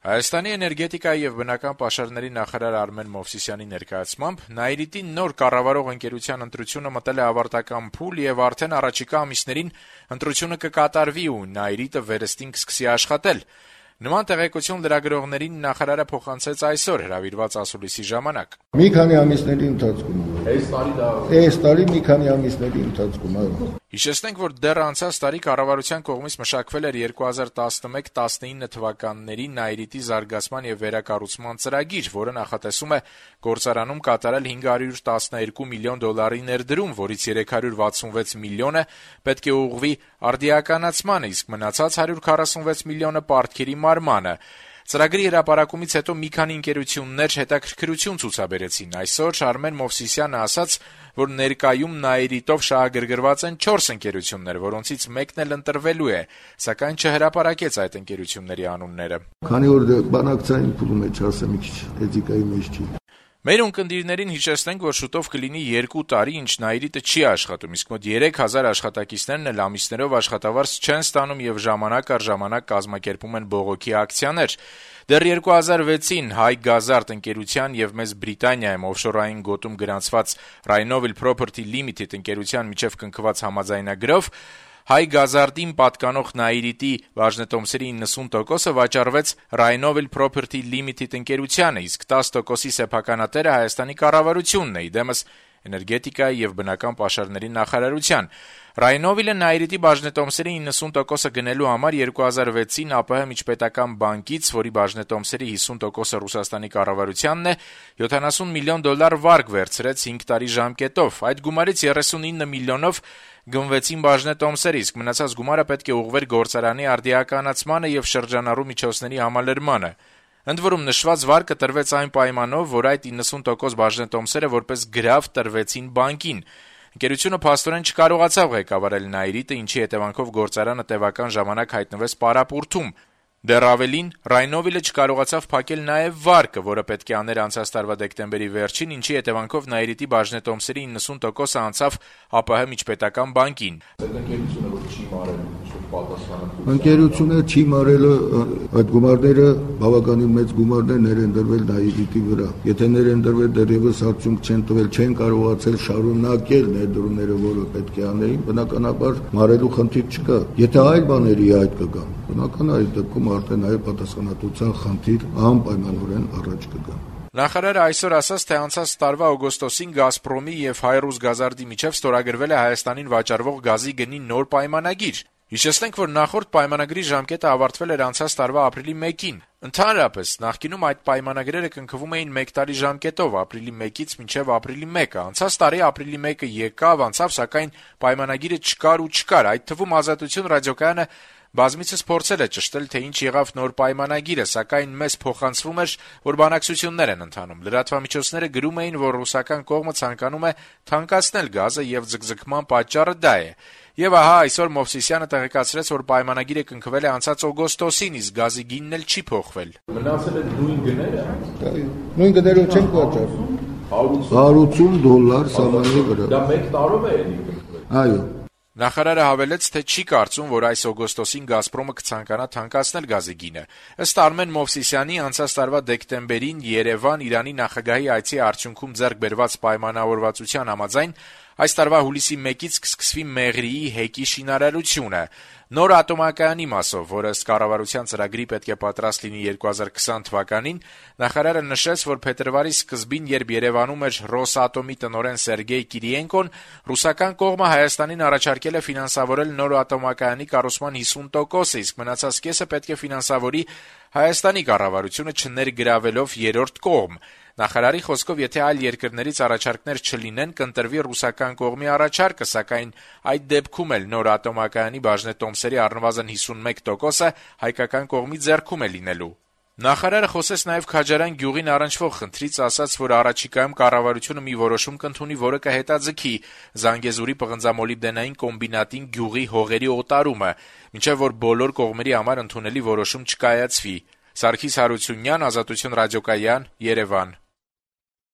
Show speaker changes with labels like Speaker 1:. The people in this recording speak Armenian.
Speaker 1: Հայաստանի էներգետիկայի եւ բնական պաշարների նախարար Արմեն Մովսիսյանի ներկայացմամբ Նաիրիտի նոր կառավարող ընկերության ընտրությունը մտել է ավարտական փուլ եւ արդեն առաջիկա ամիսներին ընտրությունը կկատարվի ու Նաիրիտը վերստին կսկսի աշխատել։ Նման տեղեկություն լրագրողներին նախարարը փոխանցեց այսօր հրավիրված ասուլիսի ժամանակ։
Speaker 2: Մի քանի ամիսների ընթացքում։ Այս տարի մի քանի ամիսների ընթացքում, այո։
Speaker 1: Հիշեցնենք, որ դեռ անցած տարի կառավարության կողմից մշակվել էր 2011-19 թվականների Նաիրիտի զարգացման եւ վերակառուցման ծրագիր, որը նախատեսում է գործարանում կատարել $512 միլիոն ներդրում, որից $366 միլիոնը պետք է ուղղվի արդիականացմանը, իսկ մնացած $146 միլիոնը պարտքերի մարմանը։ Ծրագրի հրապարակումից հետո մի քանի ընկերություններ հետաքրքրություն ցուցաբերեցին։ Այսօր Արմեն Մովսիսյանը ասաց, որ ներկայում Նաիրիտով շահագրգռված են 4 ընկերություններ, որոնցից մեկն էլ ընտրվելու է, սակայն չհրապարակեց այդ ընկերությունների անունները։
Speaker 2: Քանի որ բանակցային փուլում է, չասեմ, մի քիչ էթիկայի մեջ չի։
Speaker 1: Մեր ունկնդիրներին հիշեցնենք, որ շուտով կլինի 2 տարի, ինչ Նաիրիտը չի աշխատում, իսկ մոտ 3000 աշխատակիցներն էլ ամիսներով աշխատավարձ չեն ստանում եւ ժամանակ առ ժամանակ կազմակերպում են բողոքի ակցիաներ։ Դեռ 2006-ին Հայ Գազարդ ընկերության եւ Մեծ Բրիտանիայում օֆշորային գոտում գրանցված Rhinovel Property Limited ընկերության միջև կնքված համաձայնագրով Հայ Գազարդին պատկանող Նաիրիտի բաժնետոմսերի 90%-ը վաճառվեց Rhinovel Property Limited ընկերությանը, իսկ 10%-ի սեփականատերը Հայաստանի կառավարությունն է, իդեմս էներգետիկայի եւ բնական պաշարների նախարարության։ Rhinovel-ը Նաիրիտի բաժնետոմսերի 90%-ը գնելու համար 2006-ին ԱՊՀ միջպետական բանկից, որի բաժնետոմսերի 50%-ը Ռուսաստանի կառավարությանն է, $70 միլիոն վարկ վերցրեց 5 տարի ժամկետով։ Այդ գումարից 39 միլիոնով գնվեցին բաժնետոմսերը, իսկ մնացած գումարը պետք է ուղղվեր գործարանի արդիականացմանը եւ շրջանառու միջոցների համալրմանը։ Ընդ որում նշված վարկը տրվեց այն պայմանով, որ այդ 90% բաժնետոմսերը որպես գրավ տրվեցին բանկին։ Ընկերությունը փաստորեն չկարողացավ ղեկավարել Նաիրիտը, ինչի հետևանքով գործարանը տևական ժամանակ հայտնվեց պարապուրդում։ Դեռ ավելին, Rhinovel-ը չկարողացավ փակել նաև վարկը, որը պետք է աներ անցած տարվա դեկտեմբերի վերջին, ինչի հետևանքով Նաիրիտի բաժնետոմսերի 90%-ը անցավ ԱՊՀ միջպետական բանկին։
Speaker 2: Ընկերությունը չի մարել այդ գումարները, բավականին մեծ գումարներ են դրվել Նաիրիտի վրա։ Եթե են դրվել դեռևս արդյունք չեն տվել, չեն կարողացել շարունակել ներդրումները, որը պետք է անեին, բնականաբար մարելու խնդիր չկա։ Եթե այլ բաների այդ կգան, բնական այդ դեպքում արդեն այլ պատասխանատվության խնդիր անպայմանորեն առաջ կգա։
Speaker 1: Նախարարը այսօր ասաց, թե անցած տարվա օգոստոսին Գազպրոմի եւ Հայրուզ Գազարդի միջև ստորագրվել է Հայաստանին վաճառվող գազի գնի նոր պայմանագիր։ Հիշեցնենք, որ նախորդ պայմանագրի ժամկետը ավարտվել էր անցած տարվա ապրիլի 1-ին։ Ընդհանրապես, նախկինում այդ պայմանագրերը կնքվում էին 1 տարի ժամկետով, ապրիլի 1-ից մինչև ապրիլի 1-ը։ Անցած տարի ապրիլի 1-ը եկավ, անցավ, սակայն պայմանագիրը չկար։ Այդ թվում Ազատություն ռադիոկայանը բազմիցս փորձել է ճշտել, թե ինչ եղավ նոր պայմանագիրը, սակայն մեզ փոխանցվում էր, որ բանակցություններ են ընթանում։ Լրատվամիջոցները գրում էին, որ ռուսական կողմը ցանկանում է թանկացնել գազը եւ ձգձգման պատճառը դա է։ Եվ ահա այսօր Մովսիսյանը տեղեկացրեց, որ պայմանագիրը կնքվել է անցած օգոստոսին, իսկ գազի գինն էլ չի փոխվել։
Speaker 3: Մնացել են նույն գները։
Speaker 2: Նույն գներով չեն վաճառում։ $180 սահմանի վրա։
Speaker 3: Դա 1 տարով է էլի կնքվել։
Speaker 2: Այո։
Speaker 1: Նախարարը հավելեց, թե չի կարծում, որ այս օգոստոսին Գազպրոմը կցանկանա թանկացնել գազի գինը։ Ըստ Արմեն Մովսիսյանի անցած տարվա դեկտեմբերին Երևան Իրանի նախագահի այցի արդյունքում ձեռք բերված պայմանավորվածության համաձայն այս տարվա հուլիսի 1-ից կսկսվի Մեղրիի հեկի շինարարությունը։ Նոր ատոմակայանի մասով, որը ըստ կառավարության ծրագրի պետք է պատրաստ լինի 2020 թվականին, նախարարը նշեց, որ փետրվարի սկզբին, երբ Երևանում էր Ռոսատոմի տնօրեն Սերգեյ Կիրիենկոն, ռուսական կողմը Հայաստանին առաջարկել է ֆինանսավորել նոր ատոմակայանի կառուցման 50%-ը, իսկ մնացած կեսը պետք է ֆինանսավորի Հայաստանի կառավարությունը չներգրավելով երրորդ կողմ։ Նախարարի խոսքով, եթե այլ երկրներից առաջարկներ չլինեն, կընտրվի ռուսական կողմի առաջարկը, սակայն այդ դեպքում էլ նոր ատոմակայանի բաժնետոմսերի առնվազն 51%-ը հայկական կողմի ձեռքում է լինելու։ Նախարարը խոսեց նաև Քաջարան գյուղին առնչվող խնդրից, ասաց, որ առաջիկայում կառավարությունը մի որոշում կընդունի, որը կհետաձգի Զանգեզուրի պղնձամոլիբդենային կոմբինատին գյուղի հողերի օտարումը, մինչև որ բոլոր կողմերի համար ընդունելի որոշում չկայացվի։ Սարգիս Հարությունյան, Ազատություն ռադիոկայան, Երևան։